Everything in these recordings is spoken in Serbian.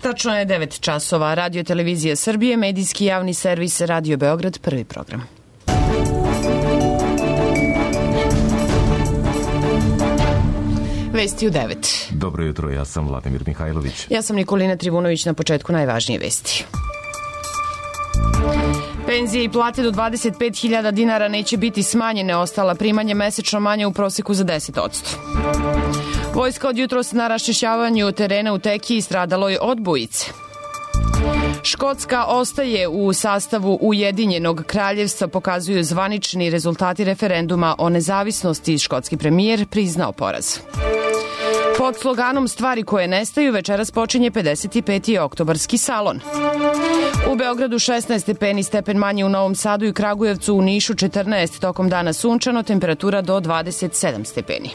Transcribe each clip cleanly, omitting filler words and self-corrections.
Tačno je 9 časova. Radio Televizija Srbije, medijski javni servis Radio Beograd, prvi program. Vesti u 9. Dobro jutro, ja sam Vladimir Mihajlović. Ja sam Nikolina Trivunović, na početku najvažnije vesti. Penzije i plate do 25.000 dinara neće biti smanjene, ostala primanja mesečno manje u proseku za 10%. Vojska od jutros na raščišćavanju terena u Tekiji stradalo je od bujice. Škotska ostaje u sastavu Ujedinjenog kraljevstva, pokazuju zvanični rezultati referenduma o nezavisnosti. Škotski premijer priznao poraz. Pod sloganom Stvari koje nestaju večeras počinje 55. oktobarski salon. U Beogradu 16 stepeni, stepen manje u Novom Sadu i Kragujevcu, u Nišu 14, tokom dana sunčano, temperatura do 27 stepeni.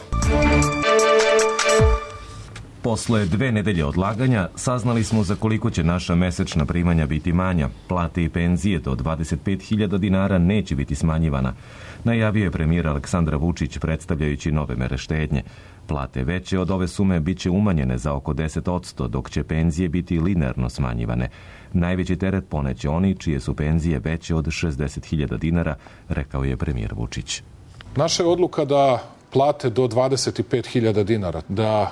Posle 2 nedelje odlaganja saznali smo za koliko će naša mesečna primanja biti manja. Plate i penzije do 25.000 dinara neće biti smanjivana, najavio je premijer Aleksandar Vučić predstavljajući nove mere štednje. Plate veće od ove sume biće umanjene za oko 10%, dok će penzije biti linearno smanjivane. Najveći teret poneće oni čije su penzije veće od 60.000 dinara, rekao je premijer Vučić. Naša je odluka da plate do 25.000 dinara, da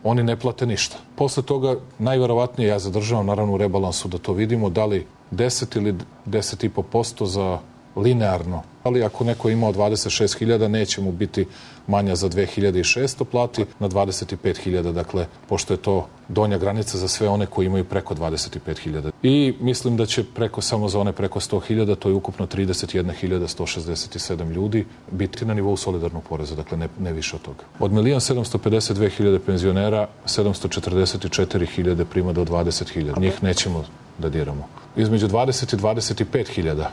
oni ne plate ništa. Posle toga, najverovatnije, ja zadržavam naravno u rebalansu da to vidimo, da li 10 ili 10,5% za linearno. Ali ako neko ima od 26.000, neće mu biti manja za 2.600 plati na 25.000, dakle, pošto je to donja granica za sve one koji imaju preko 25.000. I mislim da će samo za one preko 100.000, to je ukupno 31.167 ljudi, biti na nivou solidarnog poreza, dakle ne više od toga. Od 1.752.000 penzionera, 744.000 prima do 20.000. Njih nećemo da diramo. Između 20 i 25.000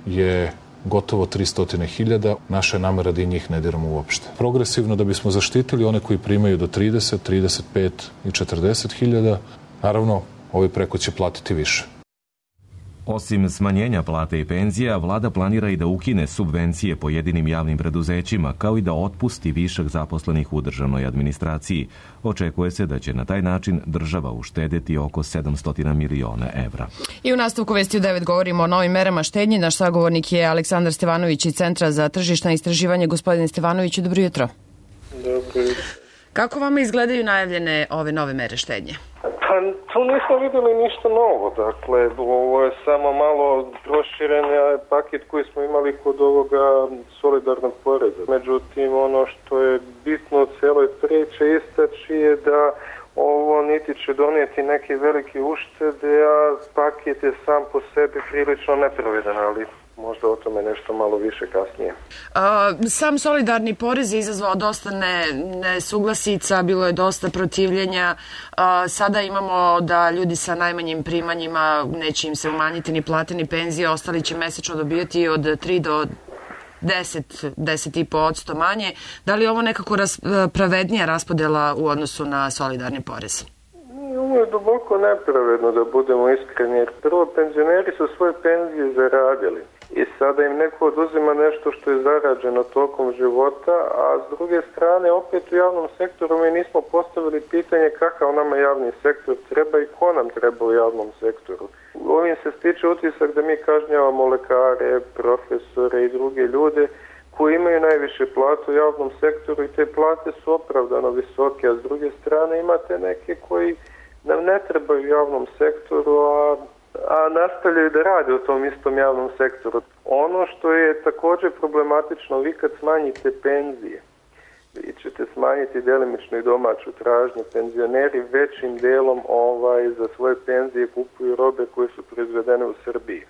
je gotovo 300.000, naša je namera da i njih ne diramo uopšte. Progresivno da bismo zaštitili one koji primaju do 30, 35 i 40.000, naravno, ovi preko će platiti više. Osim smanjenja plate i penzija, vlada planira i da ukine subvencije pojedinim javnim preduzećima, kao i da otpusti višak zaposlenih u državnoj administraciji. Očekuje se da će na taj način država uštedeti oko 700 miliona evra. I u nastavku vesti u 9 govorimo o novim merama štednje. Naš sagovornik je Aleksandar Stevanović iz Centra za tržišna istraživanja. Gospodine Stevanoviću, dobro jutro. Dobro jutro. Kako vama izgledaju najavljene ove nove mere štednje? Pa tu nismo videli ništa novo, dakle ovo je samo malo proširen paket koji smo imali kod ovoga solidarnog poreza. Međutim, ono što je bitno u cijeloj priči istaći je da ovo niti će donijeti neke velike uštede, a paket je sam po sebi prilično nepravedan, ali možda o tome nešto malo više kasnije. Sam solidarni porez je izazvao dosta nesuglasica, bilo je dosta protivljenja. Sada imamo da ljudi sa najmanjim primanjima neće im se umanjiti ni plate ni penzije, ostali će mesečno dobijati od 3 do 10,5% manje. Da li je ovo nekako pravednija raspodela u odnosu na solidarni porez? Ovo je duboko nepravedno, da budemo iskreni, jer prvo penzioneri su svoje penzije zaradili i sada im neko oduzima nešto što je zarađeno tokom života, a s druge strane opet u javnom sektoru mi nismo postavili pitanje kakav nama javni sektor treba i ko nam treba u javnom sektoru. Ovim se stiče utisak da mi kažnjavamo lekare, profesore i druge ljude koji imaju najviše plate u javnom sektoru i te plate su opravdano visoke, a s druge strane imate neke koji nam ne trebaju u javnom sektoru, a nastavljaju da rade u tom istom javnom sektoru. Ono što je također problematično, vi kad smanjite penzije, vi ćete smanjiti delimično i domaću tražnju. Penzioneri većim delom za svoje penzije kupuju robe koje su proizvedene u Srbiji.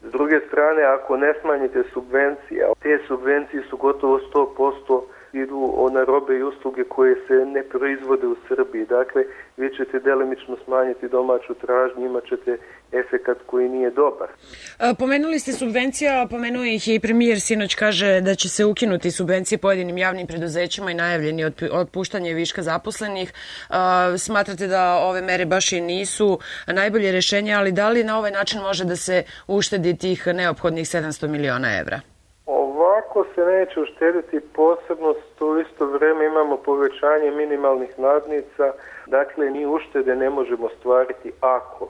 S druge strane, ako ne smanjite subvencije, te subvencije su gotovo 100% idu na robe i usluge koje se ne proizvode u Srbiji. Dakle, vi ćete delimično smanjiti domaću tražnju, imat ćete efekat koji nije dobar. Pomenuli ste subvencija, a pomenuo ih je i premijer sinoć, kaže da će se ukinuti subvencije pojedinim javnim preduzećima i najavljeni otpuštanje viška zaposlenih. Smatrate da ove mere baš i nisu najbolje rješenje, ali da li na ovaj način može da se uštedi tih neophodnih 700 miliona evra? Ako se neće uštediti, posebno u isto vrijeme imamo povećanje minimalnih nadnica, dakle ni uštede ne možemo stvariti ako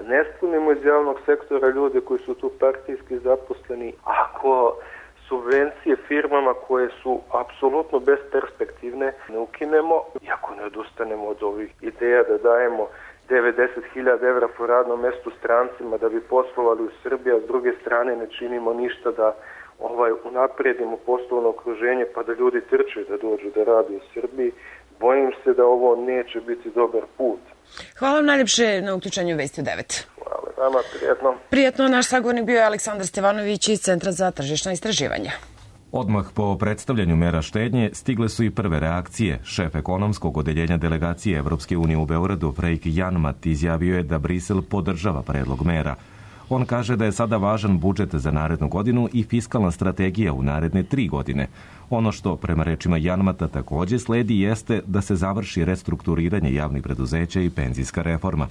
ne spunimo iz javnog sektora ljude koji su tu partijski zaposleni, ako subvencije firmama koje su apsolutno besperspektivne ne ukinemo i ako ne odustanemo od ovih ideja da dajemo 90.000 evra po radnom mestu strancima da bi poslovali u Srbiji, a s druge strane ne činimo ništa da unaprijedimo poslovno okruženje pa da ljudi trče da dođu da rade u Srbiji. Bojim se da ovo neće biti dobar put. Hvala vam najljepše na uključenju Vesti u 9. Hvala vama, prijetno. Prijetno, naš sagovornik bio je Aleksandar Stevanović iz Centra za tržišna istraživanja. Odmah po predstavljanju mera štednje stigle su i prve reakcije. Šef ekonomskog odeljenja delegacije Evropske unije u Beogradu, Freik Janmat, izjavio je da Brisel podržava predlog mera. On kaže da je sada važan budžet za narednu godinu i fiskalna strategija u naredne 3 godine. Ono što, prema rečima Janmata, također sledi jeste da se završi restrukturiranje javnih preduzeća i penzijska reforma.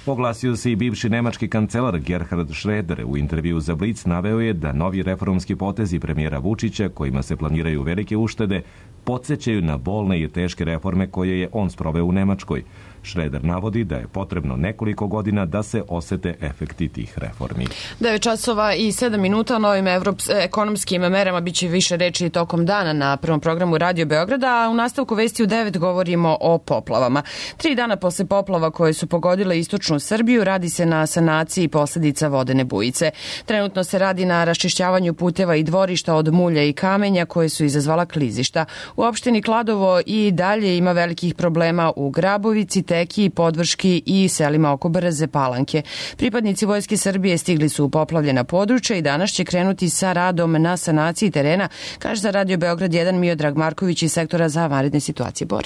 Oglasio se i bivši nemački kancelar Gerhard Schröder. U intervju za Blic naveo je da novi reformski potezi premijera Vučića, kojima se planiraju velike uštede, podsjećaju na bolne i teške reforme koje je on sproveo u Nemačkoj. Schröder navodi da je potrebno nekoliko godina da se osete efekti tih reformi. 9 časova i 7 minuta o novim ekonomskim merama biće više reči tokom dana na prvom programu Radio Beograda, a u nastavku Vesti u 9 govorimo o poplavama. 3 dana posle poplava koje su pogodile istočnu Srbiju radi se na sanaciji posljedica vodene bujice. Trenutno se radi na raščišćavanju puteva i dvorišta od mulja i kamenja koje su izazvala klizišta. U opštini Kladovo i dalje ima velikih problema u Grabovici, Teki, Podvrški i selima oko Brze Palanke. Pripadnici Vojske Srbije stigli su u poplavljena područja i danas će krenuti sa radom na sanaciji terena, kaže za Radio Beograd 1 Miodrag Marković iz sektora za vanredne situacije Bor.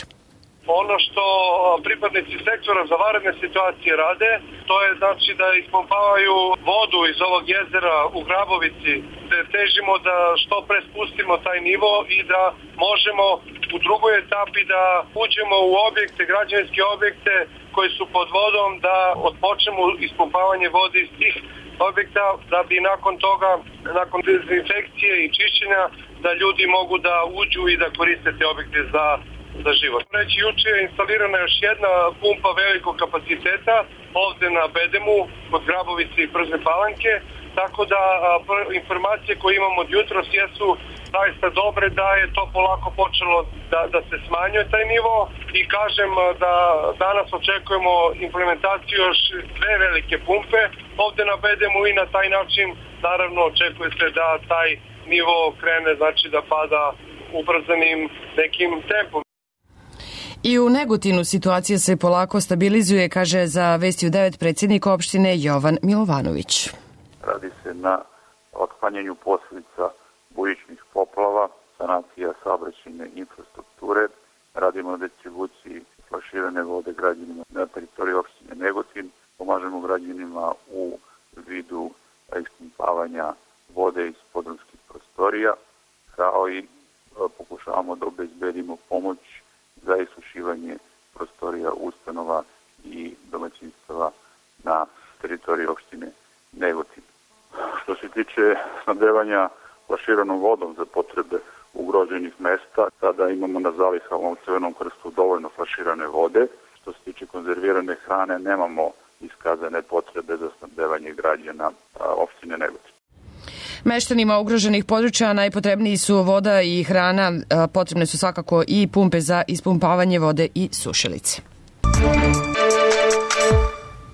Ono što pripadnici sektora za vanredne situacije rade, to je znači da ispumpavaju vodu iz ovog jezera u Grabovici, da težimo da što pre spustimo taj nivo i da možemo u drugoj etapi da uđemo u objekte, građevinske objekte koji su pod vodom, da odpočnemo ispumpavanje vode iz tih objekta, da bi nakon toga, nakon dezinfekcije i čišćenja, da ljudi mogu da uđu i da koriste te objekte za život. Reći, juče je instalirana još jedna pumpa velikog kapaciteta ovde na Bedemu, kod Grabovice i Brze Palanke, tako da informacije koje imamo od jutros jesu zaista dobre, da je to polako počelo da se smanjuje taj nivo i kažem da danas očekujemo implementaciju još 2 velike pumpe ovde na Bedemu i na taj način naravno očekuje se da taj nivo krene, znači da pada ubrzanim nekim tempom. I u Negotinu situacija se polako stabilizuje, kaže za Vesti u 9 predsjednik opštine Jovan Milovanović. Radi se na otklanjanju posljedica bujičnih poplava, sanacija saobraćajne infrastrukture, radimo na distribuciji flaširane vode građanima na teritoriji opštine Negotin, pomažemo građanima u vidu ispumpavanja vode iz podrumskih prostorija, kao i pokušavamo da obezbedimo pomoć za isušivanje prostorija ustanova i domaćinstava na teritoriji opštine Negotin. Što se tiče snabdevanja flaširanom vodom za potrebe ugroženih mesta, sada imamo na zalihama u Crvenom krstu dovoljno flaširane vode. Što se tiče konzervirane hrane, nemamo iskazane potrebe za snabdevanje građana opštine Negotin. Meštanima ugroženih područja najpotrebniji su voda i hrana, potrebne su svakako i pumpe za ispumpavanje vode i sušilice.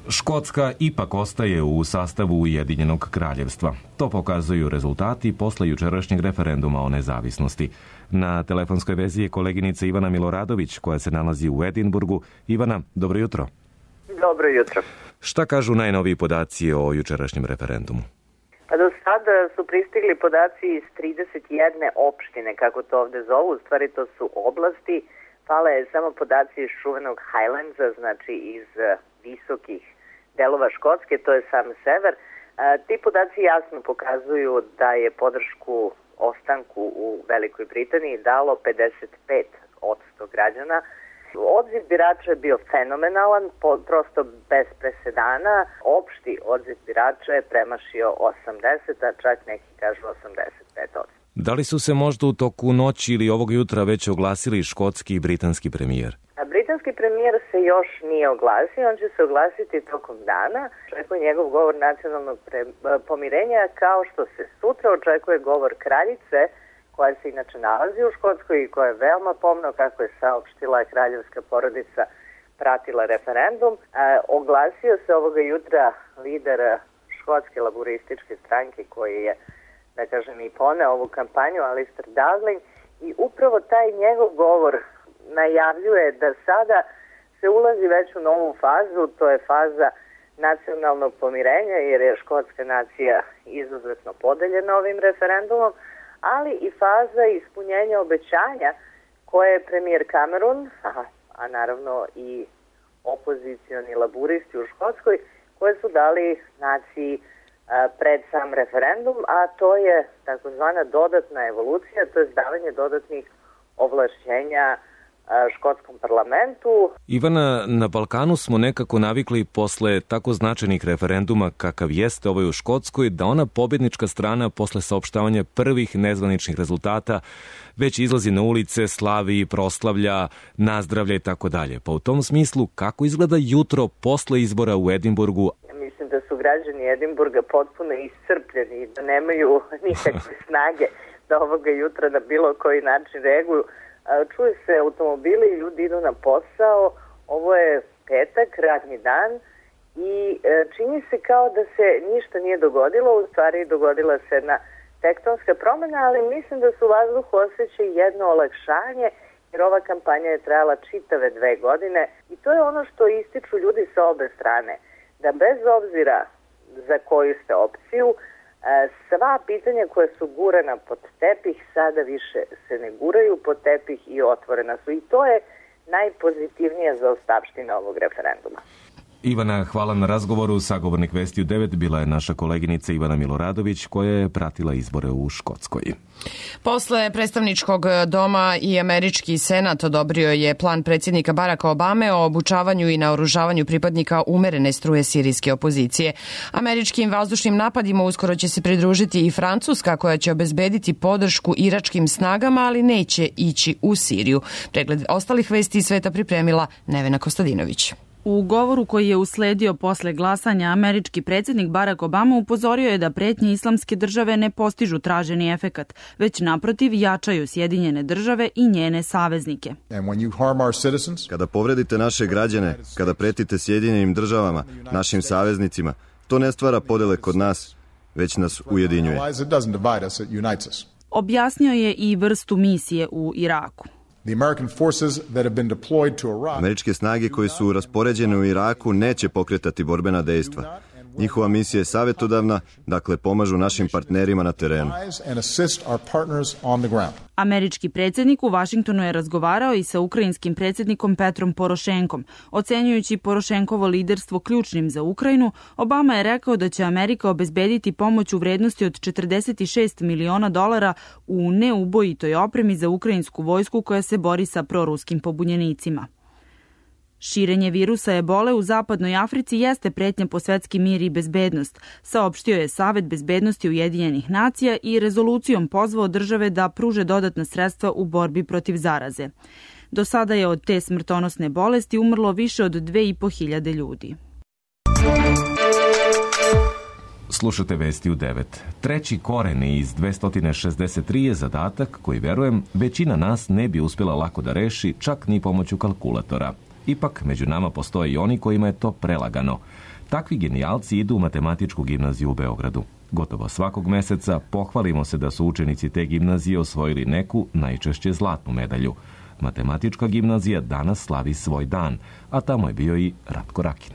Škotska ipak ostaje u sastavu Ujedinjenog kraljevstva. To pokazuju rezultati posle jučerašnjeg referenduma o nezavisnosti. Na telefonskoj vezi je koleginica Ivana Miloradović, koja se nalazi u Edinburgu. Ivana, dobro jutro. Dobro jutro. Šta kažu najnoviji podaci o jučerašnjem referendumu? Do sada su pristigli podaci iz 31 opštine, kako to ovde zovu, u stvari to su oblasti. Fale je samo podaci iz čuvenog Highlandsa, znači iz visokih delova Škotske, to je sam sever. Ti podaci jasno pokazuju da je podršku ostanku u Velikoj Britaniji dalo 55% građana. Odziv birača je bio fenomenalan, prosto bez presedana. Opšti odziv birača je premašio 80, a čak neki kažu 85%. Da li su se možda u toku noći ili ovog jutra već oglasili škotski i britanski premijer? Britanski premijer se još nije oglasio, on će se oglasiti tokom dana. Očekuje njegov govor nacionalnog pomirenja, kao što se sutra očekuje govor kraljice, koja se inače nalazi u Škotskoj i koja je veoma pomno, kako je saopštila kraljevska porodica, pratila referendum. Oglasio se ovoga jutra lider škotske laburističke stranke, koji je, da kažem, i poneo ovu kampanju, Alistair Darling, i upravo taj njegov govor najavljuje da sada se ulazi već u novu fazu, to je faza nacionalnog pomirenja, jer je škotska nacija izuzetno podeljena ovim referendumom, ali i faza ispunjenja obećanja koje je premijer Cameron, a naravno i opozicioni laburisti u Škotskoj, koje su dali naciji pred sam referendum, a to je takozvana dodatna evolucija, to je davanje dodatnih ovlašćenja škotskom parlamentu. Ivana, na Balkanu smo nekako navikli posle tako značajnih referenduma kakav jeste ovaj u Škotskoj, da ona pobjednička strana posle saopštavanja prvih nezvaničnih rezultata već izlazi na ulice, slavi, proslavlja, nazdravlja i tako dalje. Pa u tom smislu, kako izgleda jutro posle izbora u Edinburgu? Mislim da su građani Edinburga potpuno iscrpljeni i da nemaju nikakve snage da ovoga jutra na bilo koji način reaguju. Čuje se automobili, ljudi idu na posao, ovo je petak, radni dan i čini se kao da se ništa nije dogodilo, u stvari dogodila se jedna tektonska promjena, ali mislim da se u vazduhu osjeća jedno olakšanje, jer ova kampanja je trajala čitave 2 godine i to je ono što ističu ljudi sa obe strane, da bez obzira za koju ste opciju, sva pitanja koja su gurana pod tepih sada više se ne guraju pod tepih i otvorena su. I to je najpozitivnija zaostavština ovog referenduma. Ivana, hvala na razgovoru. Sagovornik Vesti u 9 bila je naša koleginica Ivana Miloradović, koja je pratila izbore u Škotskoj. Posle predstavničkog doma i američki senat odobrio je plan predsjednika Baracka Obame o obučavanju i naoružavanju pripadnika umerene struje sirijske opozicije. Američkim vazdušnim napadima uskoro će se pridružiti i Francuska, koja će obezbediti podršku iračkim snagama, ali neće ići u Siriju. Pregled ostalih vesti iz sveta pripremila Nevena Kostadinović. U govoru koji je usledio posle glasanja, američki predsjednik Barack Obama upozorio je da pretnje islamske države ne postižu traženi efekat, već naprotiv jačaju Sjedinjene države i njene saveznike. Kada povredite naše građane, kada pretite Sjedinjenim državama, našim saveznicima, to ne stvara podele kod nas, već nas ujedinjuje. Objasnio je i vrstu misije u Iraku. Američke snage koje su raspoređene u Iraku neće pokretati borbena dejstva. Njihova misija je savjetodavna, dakle pomažu našim partnerima na terenu. Američki predsjednik u Vašingtonu je razgovarao i sa ukrajinskim predsjednikom Petrom Porošenkom. Ocenjujući Porošenkovo liderstvo ključnim za Ukrajinu, Obama je rekao da će Amerika obezbediti pomoć u vrednosti od $46 miliona u neubojitoj opremi za ukrajinsku vojsku koja se bori sa proruskim pobunjenicima. Širenje virusa ebole u zapadnoj Africi jeste pretnja po svetski mir i bezbednost, saopštio je Savet bezbednosti Ujedinjenih nacija i rezolucijom pozvao države da pruže dodatna sredstva u borbi protiv zaraze. Do sada je od te smrtonosne bolesti umrlo više od 2.500 ljudi. Slušate Vesti u 9. Treći koren iz 263 je zadatak koji, verujem, većina nas ne bi uspjela lako da reši, čak ni pomoću kalkulatora. Ipak, među nama postoje i oni kojima je to prelagano. Takvi genijalci idu u matematičku gimnaziju u Beogradu. Gotovo svakog meseca pohvalimo se da su učenici te gimnazije osvojili neku, najčešće zlatnu medalju. Matematička gimnazija danas slavi svoj dan, a tamo je bio i Ratko Rakin.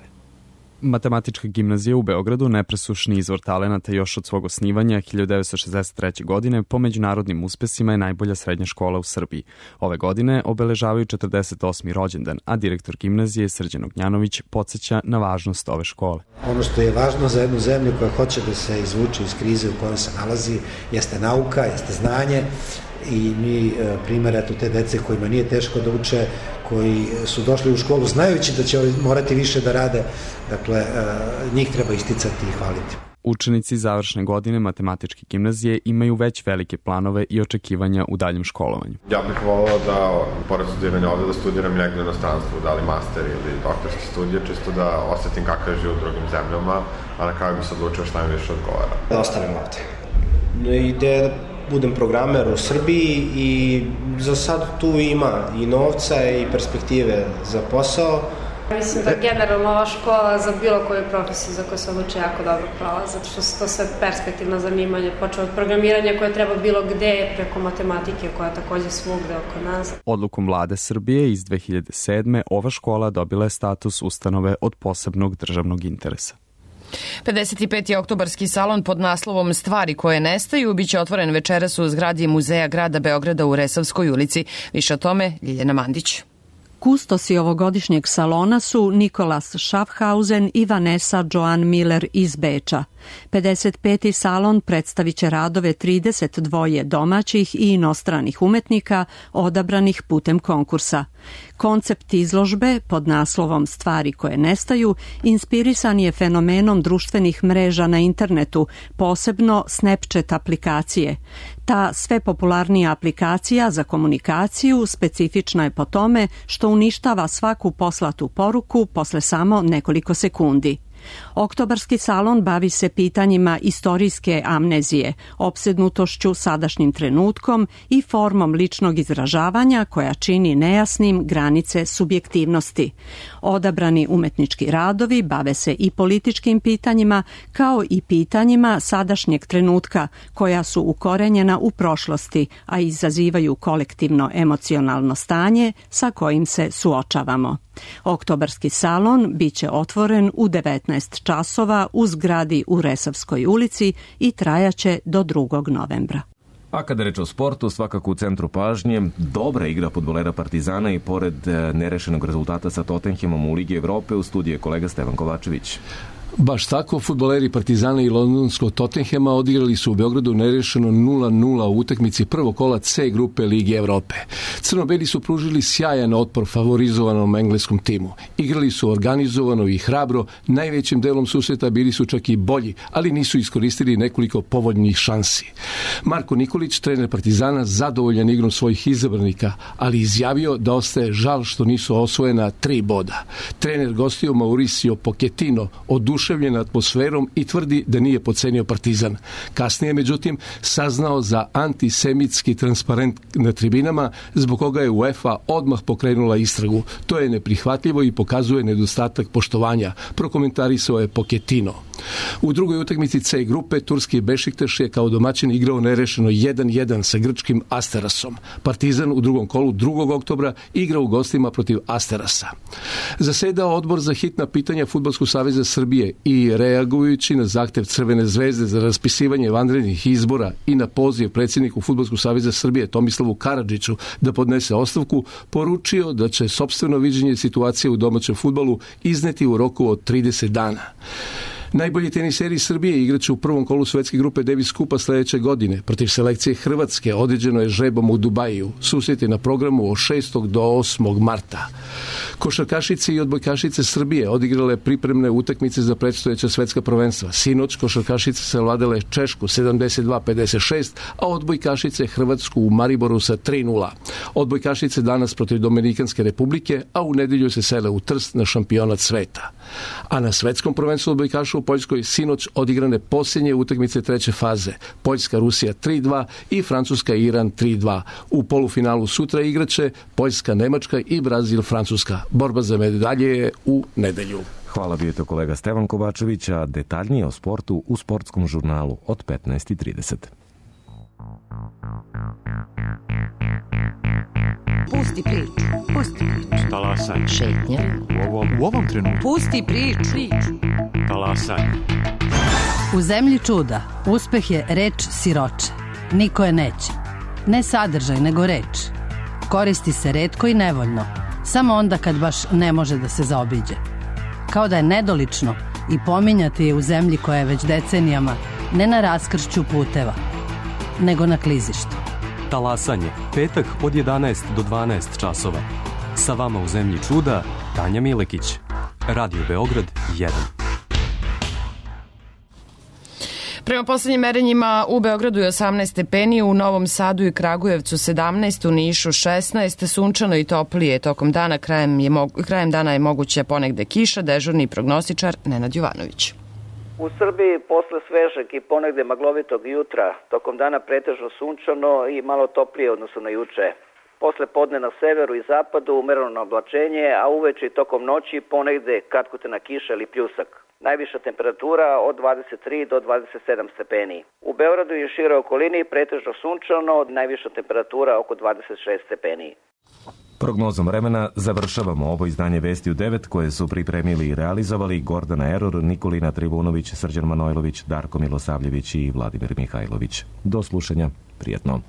Matematička gimnazija u Beogradu, nepresušni izvor talenata još od svog osnivanja 1963. godine, po međunarodnim uspesima je najbolja srednja škola u Srbiji. Ove godine obeležavaju 48. rođendan, a direktor gimnazije Srđan Ognjanović podsjeća na važnost ove škole. Ono što je važno za jednu zemlju koja hoće da se izvuče iz krize u kojoj se nalazi jeste nauka, jeste znanje, i mi primjer eto te dece kojima nije teško da uče, koji su došli u školu znajući da će morati više da rade, dakle njih treba isticati i hvaliti. Učenici završne godine matematičke gimnazije imaju već velike planove i očekivanja u daljem školovanju. Ja bih volao da, pored studiranja ovde, da studiram negde u inostranstvu, da li master ili doktorske studije, čisto da osetim kakav je život u drugim zemljama, a na kraju bi se odlučio šta mi više odgovara. Da ostanem ovde. Ideja da budem programer u Srbiji i za sad tu ima i novca i perspektive za posao. Mislim da generalno ova škola za bilo koju profesiju za koju se odluči jako dobro prolazi, zato što su to sve perspektivno zanimanje, počeo od programiranja koje treba bilo gde, preko matematike koja je takođe svugde oko nas. Odlukom vlade Srbije iz 2007. ova škola dobila je status ustanove od posebnog državnog interesa. 55. oktobarski salon pod naslovom Stvari koje nestaju biće otvoren večeras u zgradi Muzeja grada Beograda u Resavskoj ulici. Više o tome Ljiljana Mandić. Kustosi ovogodišnjeg salona su Nikolas Schaffhausen i Vanessa Joan Miller iz Beča. 55. salon predstavit će radove 32 domaćih i inostranih umetnika odabranih putem konkursa. Koncept izložbe pod naslovom Stvari koje nestaju inspirisan je fenomenom društvenih mreža na internetu, posebno Snapchat aplikacije. Ta sve popularnija aplikacija za komunikaciju specifična je po tome što uništava svaku poslatu poruku posle samo nekoliko sekundi. Oktobarski salon bavi se pitanjima istorijske amnezije, opsednutošću sadašnjim trenutkom i formom ličnog izražavanja koja čini nejasnim granice subjektivnosti. Odabrani umetnički radovi bave se i političkim pitanjima kao i pitanjima sadašnjeg trenutka koja su ukorenjena u prošlosti, a izazivaju kolektivno emocionalno stanje sa kojim se suočavamo. Oktobarski salon biće otvoren u 19 časova u zgradi u Resavskoj ulici i trajaće do 2. novembra. A kada reč o sportu, svakako u centru pažnje dobra igra fudbalera Partizana i pored nerešenog rezultata sa Tottenhamom u Ligi Evrope, u studiju je kolega Stevan Kovačević. Baš tako, fudbaleri Partizana i londonskog Tottenhama odigrali su u Beogradu nerešeno 0-0 u utakmici prvog kola C grupe Lige Evrope. Crno-beli su pružili sjajan otpor favorizovanom engleskom timu. Igrali su organizovano i hrabro, najvećim delom susreta bili su čak i bolji, ali nisu iskoristili nekoliko povoljnih šansi. Marko Nikolić, trener Partizana, zadovoljan igrom svojih izabranika, ali izjavio da ostaje žal što nisu osvojena 3 boda. Trener gostio Mauricio Pochettino oduševljen atmosferom i tvrdi da nije podcenio Partizan. Kasnije, međutim, saznao za antisemitski transparent na tribinama, zbog koga je UEFA odmah pokrenula istragu. To je neprihvatljivo i pokazuje nedostatak poštovanja, prokomentarisao je Pochettino. U drugoj utakmici C grupe turski Bešiktaš je kao domaćin igrao nerešeno 1-1 sa grčkim Asterasom. Partizan u drugom kolu 2. oktobra igra u gostima protiv Asterasa. Zasedao odbor za hitna pitanja Fudbalskog saveza Srbije i reagujući na zahtev Crvene zvezde za raspisivanje vanrednih izbora i na poziv predsjedniku Fudbalskog saveza Srbije Tomislavu Karadžiću da podnese ostavku, poručio da će sopstveno viđenje situacije u domaćem fudbalu izneti u roku od 30 dana. Najbolji teniseri Srbije igraće u prvom kolu svetske grupe Davis Kupa sledeće godine. Protiv selekcije Hrvatske određeno je žrebom u Dubaju. Susret je na programu od 6. do 8. marta. Košarkašice i odbojkašice Srbije odigrale pripremne utakmice za predstojeća svetska prvenstva. Sinoć košarkašice savladale Češku 72-56, a odbojkašice Hrvatsku u Mariboru sa 3-0. Odbojkašice danas protiv Dominikanske republike, a u nedelju se sele u Trst na šampionat sveta. A na svetskom prvenstvu odbojkaša u Poljskoj sinoć odigrane posljednje utakmice treće faze. Poljska-Rusija 3-2 i Francuska-Iran 3-2. U polufinalu sutra igraće Poljska-Nemačka i Brazil-Francuska. Borba za medalje je u nedelju. Hvala, bio je to kolega Stevan Kovačević, a detaljnije o sportu u sportskom žurnalu od 15:30. Pusti priču, pusti priču. Talasaj. Šetnja. U ovom trenutku. Pusti priču. Talasaj. U zemlji čuda uspeh je reč siroče. Niko je neće. Ne sadržaj, nego reč. Koristi se retko i nevoljno. Samo onda kad baš ne može da se zaobiđe. Kao da je nedolično i pominjati je u zemlji koja je već decenijama ne na raskršću puteva, nego na klizištu. Talasanje, petak od 11 do 12 časova. Sa vama u zemlji čuda, Tanja Milekić. Radio Beograd 1. Prema poslednjim merenjima u Beogradu je 18 stepeni, u Novom Sadu i Kragujevcu 17, u Nišu 16, sunčano i toplije tokom dana, krajem dana je moguća ponegde kiša, dežurni prognostičar Nenad Jovanović. U Srbiji posle svežeg i ponegde maglovitog jutra, tokom dana pretežno sunčano i malo toplije odnosno na juče. Posle podne na severu i zapadu umereno oblačenje, a uveče i tokom noći ponegde kratkotena kiša ili pljusak. Najviša temperatura od 23 do 27 stepeni. U Beogradu i široj okolini pretežno sunčano, najviša temperatura oko 26 stepeni. Prognozom vremena završavamo ovo izdanje Vesti u 9 koje su pripremili i realizovali Gordana Eror, Nikolina Trivunović, Srđan Manojlović, Darko Milosavljević i Vladimir Mihajlović. Do slušanja, prijetno.